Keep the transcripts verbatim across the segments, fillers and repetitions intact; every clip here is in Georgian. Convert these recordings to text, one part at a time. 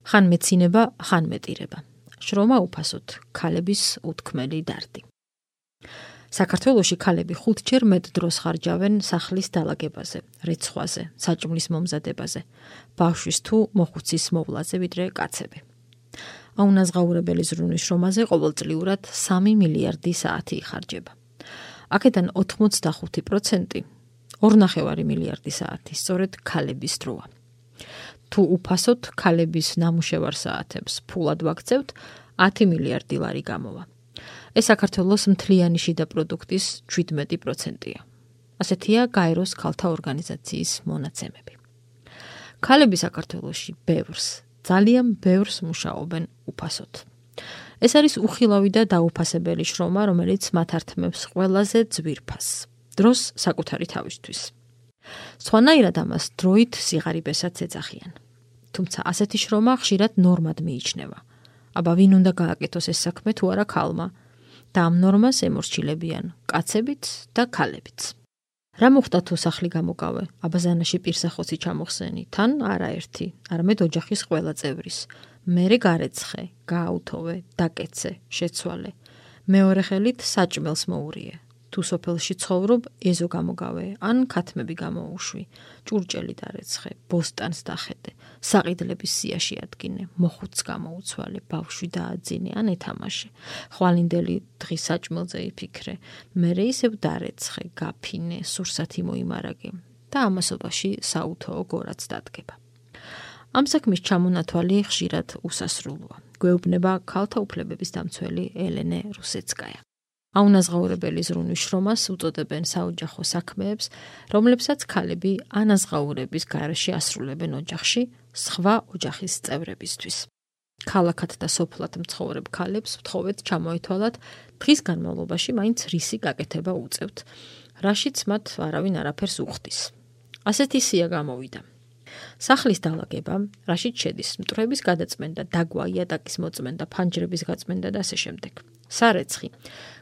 ხან მეცინება, ხან მეტირება. შრომა უფასოდ, ქალების უთქმელი დარდი. საქართველოში ქალები ხუთჯერ მეტ დროს ხარჯავენ სახლის დალაგებაზე, რეცხვაზე, საჭმლის მომზადებაზე, ბავშვის თუ მოხუცის მოვლაზე, ვიდრე კაცები. აუნაზღაურებელი ზრუნვის შრომაზე ყოველწლიურად სამი მილიარდი საათი იხარჯება. აქედან ოთხმოცდახუთი პროცენტი, ორნახევარი მილიარდი საათი, სწორედ ქალების დროა. თუ უფასოდ ქალების ნამუშევარ საათებს ფულად ვაქცევთ, ათი მილიარდი ლარი გამოვა. ეს საქართველოს მთლიანი შიდა პროდუქტის შვიდმეტი პროცენტია. ასეთია გაეროს ქალთა ორგანიზაციის მონაცემები. ქალები საქართველოში ბევრს, ძალიან ბევრს მუშაობენ უფასოდ. ეს არის უხილავი და დაუფასებელი შრომა, რომელიც მათ ართმევს ყველაზე ძვირფასს, დროს საკუთარი თავისთვის. სხვანაირად ამას დროით სიღარიბესაც ეძახიან. თუმცა ასეთი შრომა ხშირად ნორმად მიიჩნევა. აბა ვინ უნდა გააკეთოს ეს საქმე თუ არა ქალმა? და ამ ნორმას ემორჩილებიან კაცებიც და ქალებიც. რა მოხდა თუ სახლი გამოგავე, აბაზანაში პირსახოცი ჩამოხსენი, თან არაერთი, არამედ ოჯახის ყველა წევრის. მერე გარეცხე, გააუთოვე, დაკეცე, შეცვალე. მეორე ხელით საჭმელს მოურიე. თუ სოფელში ცხოვრობ, ეზო გამოგავე, ან ქათმები გამოუშვი, ჭურჭელი დარეცხე, ბოსტანს დახედე, საყიდლების სიაში ადგინე, მოხუცს გამოუცვალე, ბავშვი დააძინე, ან ეთამაშე. ხვალინდელი დღის საჭმელზე იფიქრე, მერე ისევ დარეცხე, გაფინე, სურსათი მოიმარაგე და ამასობაში საუთოო გორაც დადგება. ამ საქმის ჩამონათვალი ხშირად უსასრულოა. გვეუბნება ქალთა უფლებების დამცველი ელენე რუსეცკაია. აუნაზღაურებელი ზრუნვის შრომას უწოდებენ საოჯახო საქმეებს, რომლებსაც ქალები ანაზღაურების გარეშე ასრულებენ ოჯახში, სხვა ოჯახის წევრებისთვის. ქალაქად და სოფლად მცხოვრებ ქალებს ვთხოვეთ ჩამოეთვალათ დღის განმავლობაში მაინც რისი გაკეთება უწევთ, რაშიც მათ არავინ არაფერს უხდის. ასეთი სია გამოვიდა. სახლის დალაგება, რაშიც შედის მტვრების გადაწმენდა, დაგვა, იატაკის მოწმენდა, ფანჯრების გაწმენდა და ასე შემდეგ. სარეცხი,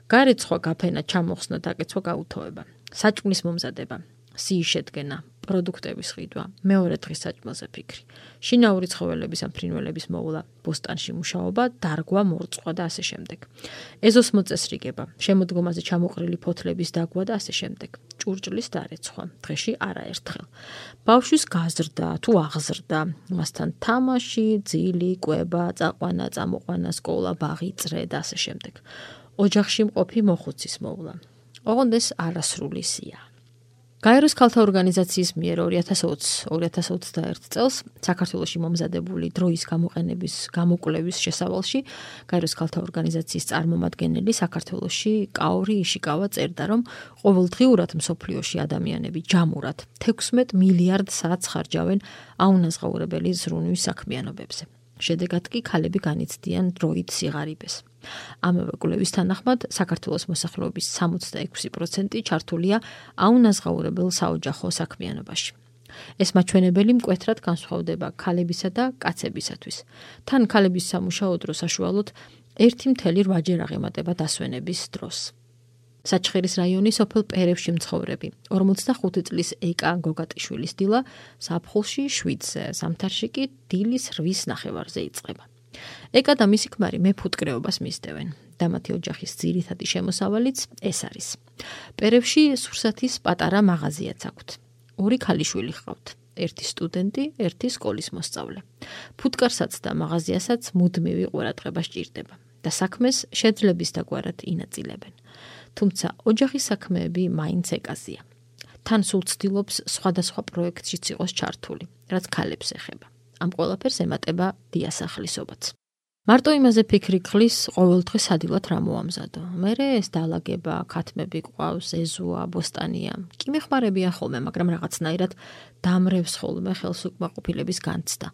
გარეცხვა, გაფენა, ჩამოხსნა, დაკეცვა, გაუთოვება, საჭმლის მომზადება, სიის შედგენა, პროდუქტების ყიდვა, მეორე დღის საჭმელზე ფიქრი, შინაური ცხოველების ან ფრინველების მოვლა, ბოსტანში მუშაობა, დარგვა, მორწყვა და ასე შემდეგ. ეზოს მოწესრიგება, შემოდგომაზე ჩამოყრილი ფოთლების დაგვა და ასე შემდეგ. ჭურჭლის დარეცხვა, დღეში არაერთხელ. ბავშვის გაზრდა თუ აღზრდა, მასთან თამაში, ძილი, კვება, წაყვანა, წამოყვანა, სკოლა, ბაღი, წრე და ასე შემდეგ. ოჯახში მყოფი მოხუცის მოვლა. ოღონდ ეს არასრული სია. გაეროს ქალთა ორგანიზაციის მიერ ორი ათას ოცი ორი ათას ოცდაერთი წელს საქართველოში მომზადებული დროის გამოყენების გამოკვლევის შესავალში გაეროს ქალთა ორგანიზაციის წარმომადგენელი საქართველოში კაორი იშიკავა წერდა, რომ ყოველდღიურად მსოფლიოში ადამიანები ჯამურად თექვსმეტ მილიარდ საათს ხარჯავენ აუნაზღაურებელი ზრუნვის საქმიანობებზე. შედეგად კი ქალები განიცდიან დროით სიღარიბეს. ამავე კვლევის თანახმად საქართველოს მოსახლეობის სამოცდაექვსი პროცენტი ჩართულია აუნაზღაურებელ საოჯახო საქმიანობაში. ეს მაჩვენებელი მკვეთრად განსხვავდება ქალებისა და კაცებისათვის. თან ქალების სამუშაო დრო საშუალოდ ერთი მთელი რვაჯერ აღემატება დასვენების დროს. საჩხერის რაიონის სოფელ პერევში მცხოვრები ორმოცდახუთი წლის ეკა გოგატიშვილის დილა ზაფხულში შვიდზე, ზამთარში კი დილის რვის ნახევარზე იწყება. ეკა და მისი ქმარი მეფუტკრეობას მისდევენ და მათი ოჯახის ძირითადი შემოსავალიც ეს არის. პერევში სურსათის პატარა მაღაზიაც აქვთ. ორი ქალიშვილი ჰყავთ, ერთი სტუდენტი, ერთი სკოლის მოსწავლე. ფუტკარსაც და მაღაზიასაც მუდმივი ყურადღება სჭირდება და საქმეს შეძლების დაგვარად ინაწილებენ. თუმცა ოჯახის საქმეები მაინც ეკაზია. თან სულ ცდილობს სხვადასხვა პროექტშიც იყოს ჩართული, რაც ქალებს ეხება. ამ ყველაფერს ემატება დიასახლისობაც. მარტო იმაზე ფიქრი გხლის, ყოველდღე სადილად რა მოამზადო. მერე ეს დალაგება, ქათმები ყავს, ეზოა, ბოსტანია. კი მეხმარებია ხოლმე, მაგრამ რაღაცნაირად დამრევს ხოლმე ხელს უკმაყოფილების განცდა.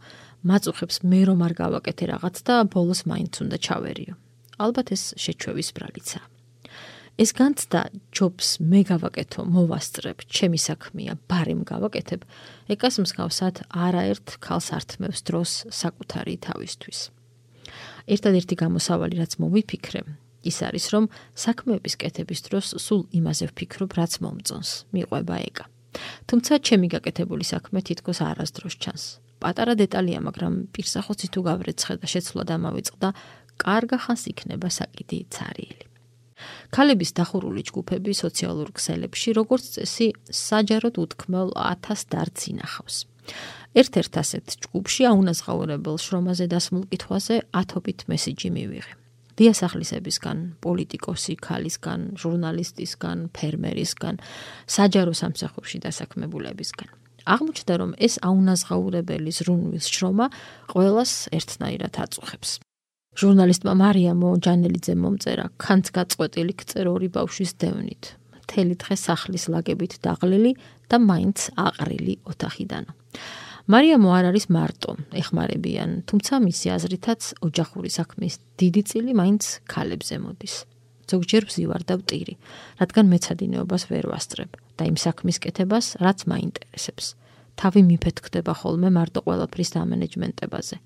მაწუხებს მე რომ არ გავაკეთე რაღაც და ბოლოს მაინც უნდა ჩავერიო. ალბათ ეს შეჩვევის ბრალიცაა. ეს განცდა ჯობს მე გავაკეთო, მოვასწრებ, ჩემი საქმეა, ბარემ გავაკეთებ, ეკას მსგავსად არაერთ ქალს ართმევს დროს საკუთარი თავისთვის. ერთადერთი გამოსავალი, რაც მოვიფიქრე, ის არის, რომ საქმეების კეთების დროს სულ იმაზე ვფიქრობ, რაც მომწონს, მიყვება ეკა. თუმცა ჩემი გაკეთებული საქმე თითქოს არასდროს ჩანს. პატარა დეტალია, მაგრამ პირსახოცი თუ გავრეცხე და შეცვლა დამავიწყდა, კარგა ხანს იქნება საკიდი ცარიელი. ქალების დახურული ჯგუფები სოციალურ ქსელებში, როგორც წესი, საჯაროდ უთქმელ ათას დარდს ინახავს. ერთ-ერთ ასეთ ჯგუფში აუნაზღაურებელ შრომაზე დასმულ კითხვაზე ათობით მესიჯი მივიღე. დიასახლისებისგან, პოლიტიკოსი ქალისგან, ჟურნალისტისგან, ფერმერისგან, საჯარო სამსახურში დასაქმებულებისგან. აღმოჩნდა, რომ ეს აუნაზღაურებელი ზრუნვის შრომა ყველას ერთნაირად აწუხებს. ჟურნალისტმა მარიამო ჯანელიძემ მომწერა, ქანც გაწყვეტილი გწერ ორი ბავშვის დევნით, მთელი დღე სახლის ლაგებით დაღლილი და მაინც აყრილი ოთახიდანო. მარიამო არ არის მარტო, ეხმარებიან, თუმცა მისი აზრითაც ოჯახური საქმის დიდი წილი მაინც ქალებზე მოდის. ზოგჯერ ვზივარ და ვტირი, რადგან მეცადინეობას ვერ ვასწრებ და იმ საქმის კეთებას, რაც მაინტერესებს. თავი მიფეთქდება ხოლმე მარტო ყველაფრის დამენეჯმენტებაზე.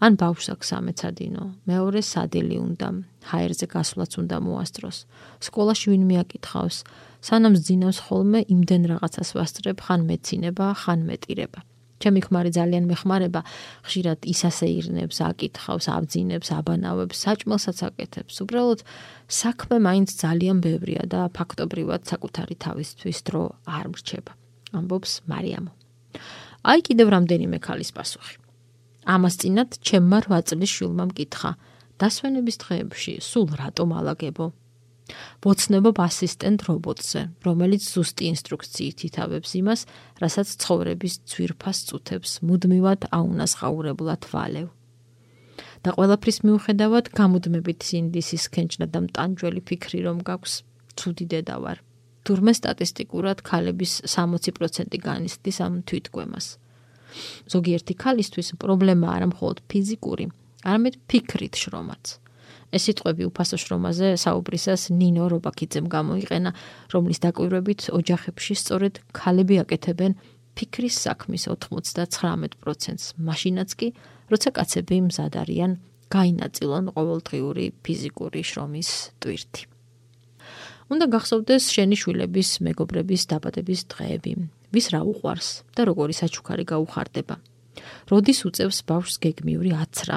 ან ბავშვს აქვს სამეცადინო, მეორე სადილი უნდა, ჰაერზე გასვლაც უნდა მოასწროს, სკოლაში ვინ მიაკითხავს, სანამ ზძინავს ხოლმე იმდენ რაღაცას ვასწრებ, ხან მეცინება, ხან მეტირება. ჩემი ქმარი ძალიან მეხმარება, ხშირად ის ასე ირნებს, აკითხავს, აბძინებს, აბანავებს, საჭმელსაც აკეთებს. უბრალოდ საქმე მაინც ძალიან ბევრია და ფაქტობრივად საკუთარი თავისთვის დრო არ მრჩება. ამბობს მარიამო. აი კიდევ რამდენიმე ქალის პასუხი. ამას წინათ ჩემმა რვა წლის შვილმა მკითხა, დასვენების დღეებში სულ რატომ ალაგებო? ვოცნებობ ასისტენტ რობოტზე, რომელიც ზუსტი ინსტრუქციით ითავებს იმას, რასაც ცხოვრების ძვირფას წუთებს მუდმივად აუნაზღაურებლად ვალევ. და ყველაფრის მიუხედავად გამუდმებით სინდისის ქენჭნა და მტანჯველი ფიქრი რომ გაქვს, ცუდი დედა ვარ. თურმე სტატისტიკურად ქალების სამოცი პროცენტი განიცდის ამ თვითგვემას. ზოგიერთი ქალისთვის პრობლემა არა მხოლოდ ფიზიკური, არამედ ფიქრით შრომაც. ეს სიტყვები უფასო შრომაზე საუბრისას ნინო რობაქიძემ გამოიყენა, რომლის დაკვირვებით ოჯახებში სწორედ ქალები აკეთებენ ფიქრის საქმის ოცდათვრამეტ პროცენტს, მაშინაც კი, როცა კაცები მზად არიან გაინაწილონ ყოველდღიური ფიზიკური შრომის ტვირთი. უნდა გახსოვდეს შენი შვილების მეგობრების დაბადების დღეები, ვის რა უყვარს და როგორი საჩუქარი გაუხარდება. როდის უწევს ბავშვს გეგმიური აცრა.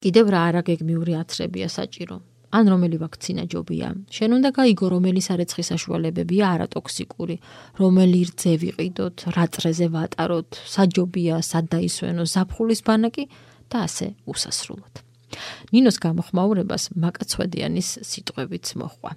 კიდევ რა არა გეგმიური აცრებია საჭირო. ან რომელი ვაქცინა ჯობია. შენ უნდა გაიგო, რომელი სარეცხი საშუალებებია არატოქსიკური, რომელი რძე ვიყიდოთ, რა წრეზე ვატაროთ, საჯობია, სად დაისვენო ზაფხულის ბანაკი და ასე უსასრულოდ. ნინოს გამოხმაურებას მაკაცვედიანის სიტყვებიც მოჰყვა.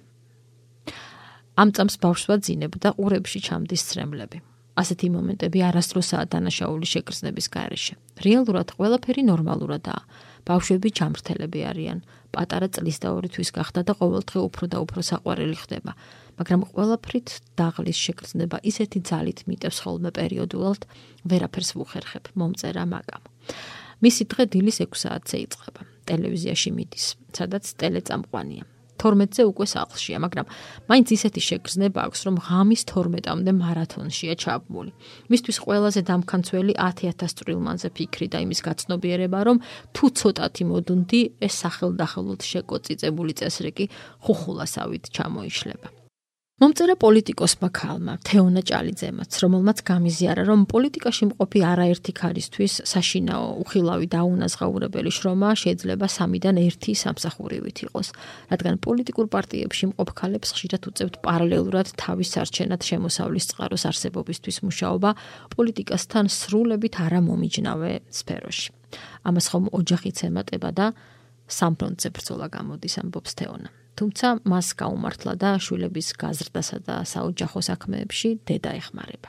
ამ წამს ბავშვს ვაძინებ და ყურებში ჩამდის ცრემლები. ასეთი მომენტები არასდროსაა დანაშაული შეგრძნების გარეშე. რეალურად ყველაფერი ნორმალურადაა. ბავშვები ჯამრთელები არიან. პატარა წლის და ორი თვის გახდა და ყოველდღე უფრო და უფრო საყვარელი ხდება. მაგრამ ყველაფრით დაღლის შეგრძნება ისეთი ძალით მიტევს ხოლმე პერიოდულად, ვერაფერს ვუხერხებ, მომწერა მაგამ. მისი დღე დილის ექვს საათზე იწყება. ტელევიზიაში მიდის, სადაც ტელეწამყვანია. თორმეტზე უკვე სახლშია, მაგრამ მაინც ისეთი შეგრძნება აქვს, რომ ღამის თორმეტამდე მარათონშია ჩაბმული. მისთვის ყველაზე დამქანცველი ათი ათას წვრილმანზე ფიქრი და იმის გაცნობიერება, რომ თუ ცოტათი მოდუნდი, ეს სახელდახელოდ შეკოწიწებული წესრიგი ხუხულასავით ჩამოიშლება. მომწერა პოლიტიკოსმა ქალმა, თეონა ჭალიძემაც, რომელმაც გამიზიარა, რომ პოლიტიკაში მყოფი არაერთი ქალისთვის საშინაო, უხილავი და აუნაზღაურებელი შრომა შეიძლება სამიდან ერთი სამსახურივით იყოს, რადგან პოლიტიკურ პარტიებში მყოფ ქალებს ხშირად უწევთ პარალელურად თავის სარჩენად შემოსავლის წყაროს არსებობისთვის მუშაობა პოლიტიკასთან სრულებით არამომიჯნავე სფეროში. ამას ხომ ოჯახიც ემატება და სამფრონტზე ბრძოლა გამოდის, ამბობს თეონა. თუმცა მას გაუმართლა და შვილების გაზრდასა და საოჯახო საქმეებში დედა ეხმარება.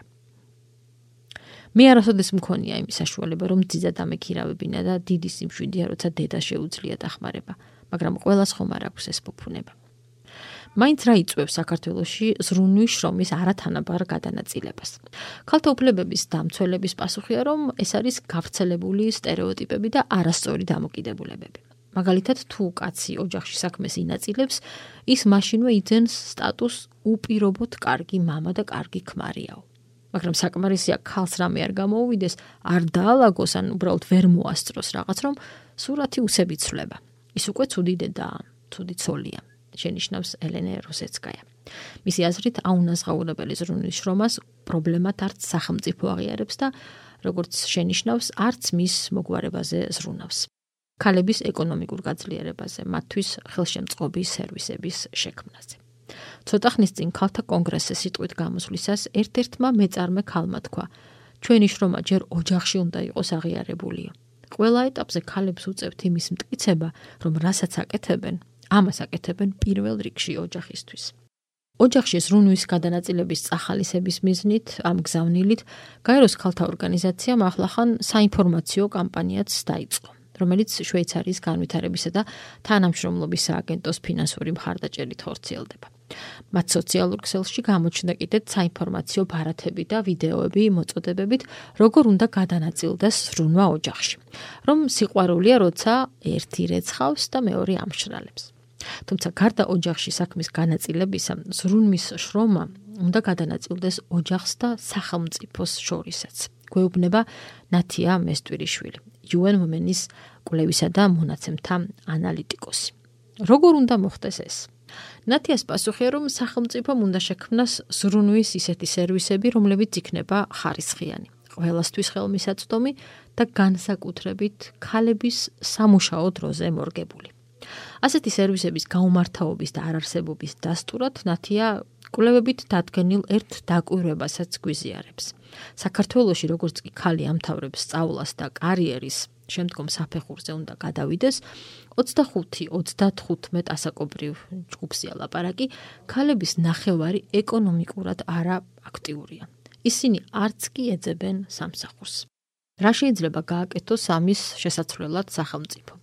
მე არასოდეს მქონია იმის საშუალება, რომ ძიძა დამექირავებინა და დიდი სიმშვიდეა, როცა დედა შეუძლია დახმარება, მაგრამ ყველას ხომ არ აქვს ეს ფუფუნება. მაინც რა იწვევს საქართველოში ზრუნვის შრომის არათანაბარ გადანაწილებას. ქალთა უფლებების დამცველების პასუხია, რომ ეს არის გავრცელებული სტერეოტიპები და არასწორი დამოკიდებულებები. მაგალითად, თუ კაცი ოჯახში საქმეს ინაწილებს, ის მაშინვე იძენს სტატუს უპირობოდ კარგი მამა და კარგი ქმარიაო. მაგრამ საკმარისია ქალს რამე არ გამოუვიდეს, არ დაალაგოს, ან უბრალოდ ვერ მოასწროს რაღაც, რომ სურათი useb იცვლება. ის უკვე ცუდი დედაა, ცუდი ცოლია, შენიშნავს ელენე როსეცკაია. მისი აზრით, აუნაზღაურებელი ზრუნვის შრომას პრობლემად არც სახელმწიფო აღიარებს და როგორც შენიშნავს, არც მის მოგვარებაზე ზრუნავს. ქალების ეკონომიკურ გაძლიერებაზე, მათთვის ხელშემწყობი სერვისების შექმნაზე. ცოტა ხნის წინ ქალთა კონგრესზე სიტყვით გამოსვლისას ერთ-ერთმა მეწარმე ქალმა თქვა: ჩვენი შრომა ჯერ ოჯახში უნდა იყოს აღიარებულიო. ყველა ეტაპზე ქალებს უწევთ იმის მტკიცება, რომ რასაც აკეთებენ, ამას აკეთებენ პირველ რიგში ოჯახისთვის. ოჯახში ზრუნვის გადანაწილების წახალისების მიზნით, ამ გზავნილით, გაეროს ქალთა ორგანიზაციამ ახლახან საინფორმაციო კამპანიაც დაიწყო, რომელიც შვეიცარიის განვითარებისა და თანამშრომლობის სააგენტოს ფინანსური მხარდაჭერით ხორციელდება. მათ სოციალურ ქსელში გამოჩნდა კიდეც საინფორმაციო ბარათები და ვიდეოები მოწოდებებით, როგორ უნდა გადანაწილდეს ზრუნვა ოჯახში. რომ სიყვარულია, როცა ერთი რეცხავს და მეორე ამშრალებს. თუმცა გარდა ოჯახში საქმის განაწილებისა, ზრუნვის შრომა უნდა გადანაწილდეს ოჯახს და სახელმწიფოს შორისაც. გვეუბნება ნათია მესტვირიშვილი, იუ ენ Women-ის კვლევისა და მონაცემთა ანალიტიკოსი. როგორ უნდა მოხდეს ეს? ნათიას პასუხია, რომ სახელმწიფომ უნდა შექმნას ზრუნვის ისეთი სერვისები, რომლებიც იქნება ხარისხიანი, ყველასთვის ხელმისაწვდომი და განსაკუთრებით ქალების სამუშაო დროზე მორგებული. ასეთი სერვისების გაუმართავობის და არარსებობის დასტურად ნათია კვლევებით დადგენილ ერთ დაკვირვებასაც გვიზიარებს. საქართველოში როგორც კი ქალი ამთავრებს სწავლას და კარიერის შემდგომ საფეხურზე უნდა გადავიდეს, ოცდახუთი ოცდათხუთმეტ ასაკობრივ ჯგუფზეა ლაპარაკი, ქალების ნახევარი ეკონომიკურად არა აქტიურია. ისინი არც კი ეძებენ სამსახურს. რა შეიძლება გააკეთოს ამის შესაცვლელად სახელმწიფომ?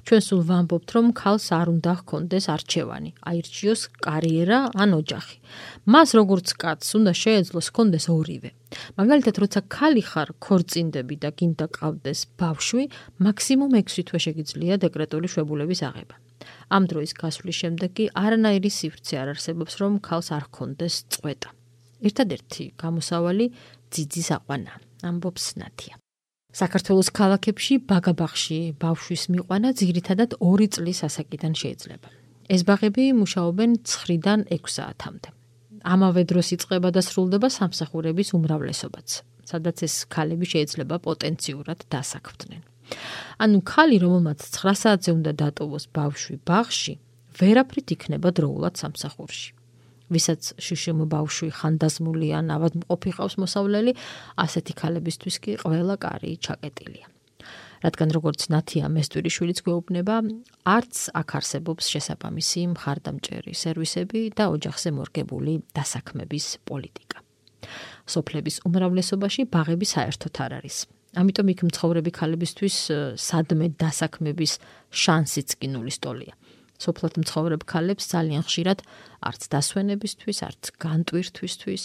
ჩვენ სულ ვამბობთ, რომ ქალს არ უნდა ჰქონდეს არჩევანი, აირჩიოს კარიერა ან ოჯახი. მას როგორც კაცს უნდა შეეძლოს ჰქონდეს ორივე. მაგალითად, როცა ქალი ხარ, ქორწინდები და გინდა ყავდეს ბავშვი, მაქსიმუმ ექვსი თვე შეგიძლია დეკრეტული შვებულების აღება. ამ დროის გასვლის შემდეგ კი არანაირი სივრცე არ არსებობს, რომ ქალს არ ჰქონდეს წყვეტა. ერთადერთი გამოსავალი ძიძის აყვანა, ამბობს ნათია. საქართველოს ქალაქებში ბაგაბაღში ბავშვის მიყვანა ძირითადად ორი წლის ასაკიდან შეიძლება. ეს ბაღები მუშაობენ ცხრიდან ექვს საათამდე. ამავე დროს იწყება და სრულდება სამსახურების უმრავლესობაც, სადაც ეს ქალები შეიძლება პოტენციურად დასაქმდნენ. ანუ ქალი, რომელმაც ცხრა საათზე უნდა დატოვოს ბავშვი ბაღში, ვერაფრით იქნება დროულად სამსახურში. ვისაც შიშიმ ბავშვი ხანდაზმული ან ავადმყოფი ყავს მოსავლელი, ასეთი ქალებისთვის კი ყველა კარი ჩაკეტილია. რადგან როგორც ნათია მესტვირიშვილიც გვეუბნება, არც აქ არსებობს შესაბამისი მხარდამჭერი სერვისები და ოჯახზე მორგებული დასაქმების პოლიტიკა. სოფლების უმრავლესობაში ბაღები საერთოდ არ არის. ამიტომ იქ მცხოვრები ქალებისთვის სადმე დასაქმების შანსიც კი ნულის ტოლია. სოფლად მცხოვრებ ქალებს ძალიან ხშირად არც დასვენებისთვის, არც განტვირთვისთვის,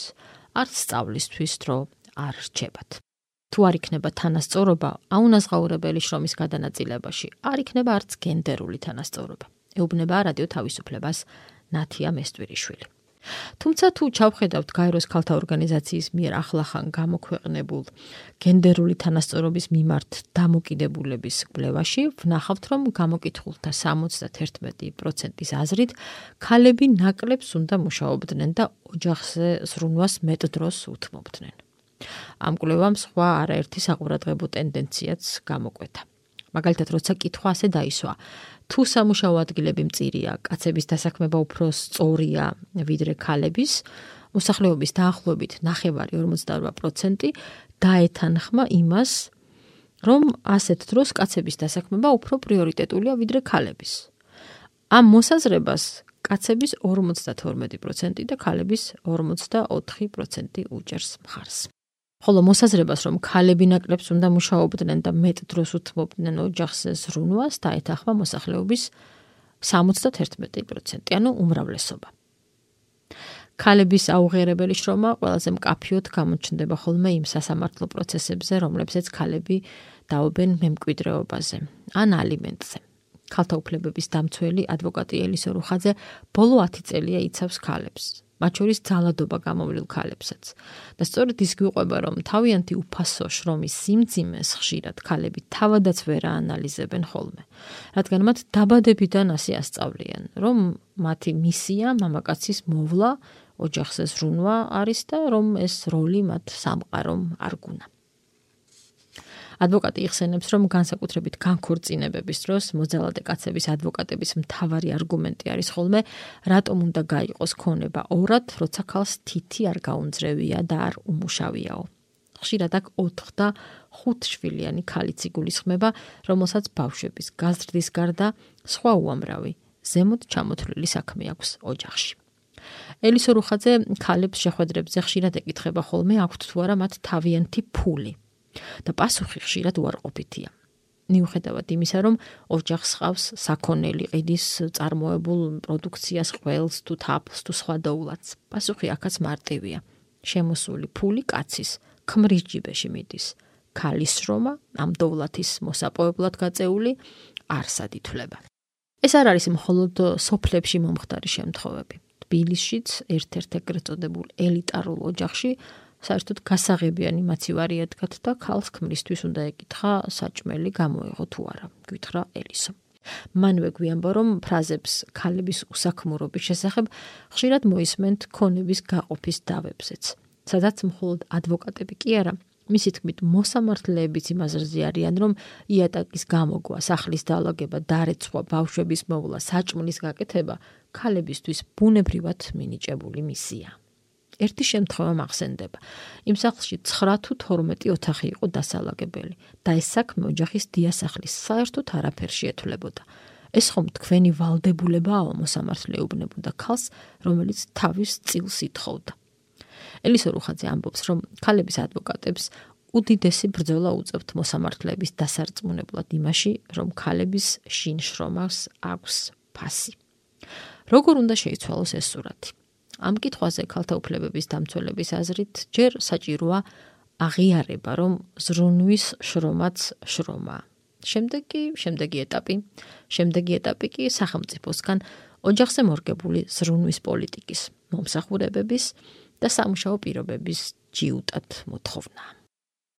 არც სწავლისთვის დრო არ რჩებათ. თუ არ იქნება თანასწორობა აუნაზღაურებელი შრომის გადანაწილებაში, არ იქნება არც გენდერული თანასწორობა. ეუბნება რადიო თავისუფლებას ნათია მესტვირიშვილი. თუმცა თუ ჩავხედავთ გაეროს ქალთა ორგანიზაციის მიერ ახლახან გამოქვეყნებულ გენდერული თანასწორობის მიმართ დამოკიდებულების კვლევაში, ვნახავთ, რომ გამოკითხულთა სამოცდაერთმეტი პროცენტის აზრით, ქალები ნაკლებს უნდა მუშაობდნენ და ოჯახზე ზრუნვას მეტ დროს უთმობდნენ. ამ კვლევამ სხვა არაერთი საყურადღებო ტენდენციაც გამოკვეთა. მაგალითად, როცა კითხვა ასე დაისვა, თუ სამუშაო ადგილები მწირია, კაცების დასაქმება უფრო სწორია ვიდრე ქალების, მოსახლეობის დაახლოებით ნახევარი ორმოცდაორ პროცენტი დაეთანხმა იმას, რომ ასეთ დროს კაცების დასაქმება უფრო პრიორიტეტულია ვიდრე ქალების. ამ მოსაზრებას კაცების ორმოცდათორმეტი პროცენტი და ქალების ორმოცდაოთხი პროცენტი უჭერს მხარს. ხოლო მოსაზრებას, რომ ქალები ნაკლებს უნდა მუშაობდნენ და მეტ დროს უთმობდნენ ოჯახზე ზრუნვას, დაეთანხმა მოსახლეობის სამოცდაერთმეტი პროცენტი, ანუ უმრავლესობა. ქალების აუღიარებელი შრომა ყველაზე მკაფიოდ გამოჩნდება ხოლმე იმ სასამართლო პროცესებზე, რომლებზეც ქალები დაობენ მემკვიდრეობაზე ან ალიმენტზე. ქალთა უფლებების დამცველი ადვოკატი ელისო რუხაძე ბოლო ათი წელია იცავს ქალებს. მათ შორის ძალადობა გამოვლილ ქალებსაც. და სწორედ ის გვიყვება, რომ თავიანთი უფასო შრომის სიმძიმეს ხშირად ქალები თავადაც ვერ აანალიზებენ ხოლმე, რადგან მათ დაბადებიდან ასე ასწავლიან, რომ მათი მისია მამაკაცის მოვლა, ოჯახზე ზრუნვა არის და რომ ეს როლი მათ სამყარომ არ გუნა. ადვოკატი იხსენებს, რომ განსაკუთრებით განქორწინებების დროს მოძალადე კაცების ადვოკატების მთავარი არგუმენტი არის ხოლმე, რატომ უნდა გაიყოს ქონება ორად, როცა ქალს თითი არ გაუნძრევია და არ უმუშავიაო. ხშირად აქ ოთხ და ხუთ შვილიანი ქალიც იგულისხმება, რომელსაც ბავშვების გაზრდის გარდა სხვა უამრავი ზემოთ ჩამოთვლილი საქმე აქვს ოჯახში. ელისო რუხაძე ქალებს შეხვედრებზე ხშირად ეკითხება ხოლმე, აქვთ თუ არა მათ თავიანთი ფული და პასუხი ხშირად უარყოფითია. მიუხედავად იმისა, რომ ოჯახს ჰყავს საქონელი, ყიდის წარმოებულ პროდუქციას, ყველს თუ თაფლს თუ სხვა დოულაც. პასუხი აქაც მარტივია. შემოსული ფული კაცის ქმრის ჯიბეში მიდის. ქალის შრომა ამ დოვლათის მოსაპოვებლად გაწეული არსად ითვლება. ეს არ არის მხოლოდ სოფლებში მომხდარი შემთხვევები. თბილისშიც ერთ-ერთ ეგრეთ წოდებულ ელიტარულ ოჯახში საერთოდ გასაღებიანი მაცივარი ედგათ და ქალს ქმრისთვის უნდა ეკითხა საჭმელი გამოეღო თუ არა, გითხრა ელისო. მანვე გვიანბო, რომ ფრაზებს ქალების უსაქმურობის შესახებ ხშირად მოისმენთ ქონების გაყოფის დავებზეც, სადაც მხოლოდ ადვოკატები კი არა, მისი თქმით მოსამართლეებიც იმას რზიან, რომ იატაკის გამოგვა, სახლის დალაგება, დარეცვა, ბავშვების მოვლა, საჭმლის გაკეთება ქალებისთვის ბუნებრივად მინიჭებული მისია. ერთი შემთხვევა მახსენდება. იმ სახლში ცხრა თუ თორმეტი ოთახი იყო დასალაგებელი და ეს საქმე ოჯახის დიასახლის საერთოდ არაფერ შეეთვლებოდა. ეს ხომ თქვენი ვალდებულებაა, მოსამართლე ეუბნებოდა ქალს, რომელიც თავის წილს ითხოვდა. ელისო რუხაძე ამბობს, რომ ქალების ადვოკატებს უდიდესი ბრძოლა უწევთ მოსამართლეების დასარწმუნებლად იმაში, რომ ქალების შინ შრომას აქვს ფასი. როგორ უნდა შეიცვალოს ეს სურათი? ამ კითხვაზე ქალთა უფლებების დამცველების აზრით ჯერ საჭიროა აღიარება, რომ ზრუნვის შრომაც შრომაა. შემდეგ კი, შემდეგი ეტაპი, შემდეგი ეტაპი კი სახელმწიფოსგან ოჯახზე მორგებული ზრუნვის პოლიტიკის, მომსახურებების და სამუშაო პირობების ჯიუტად მოთხოვნა.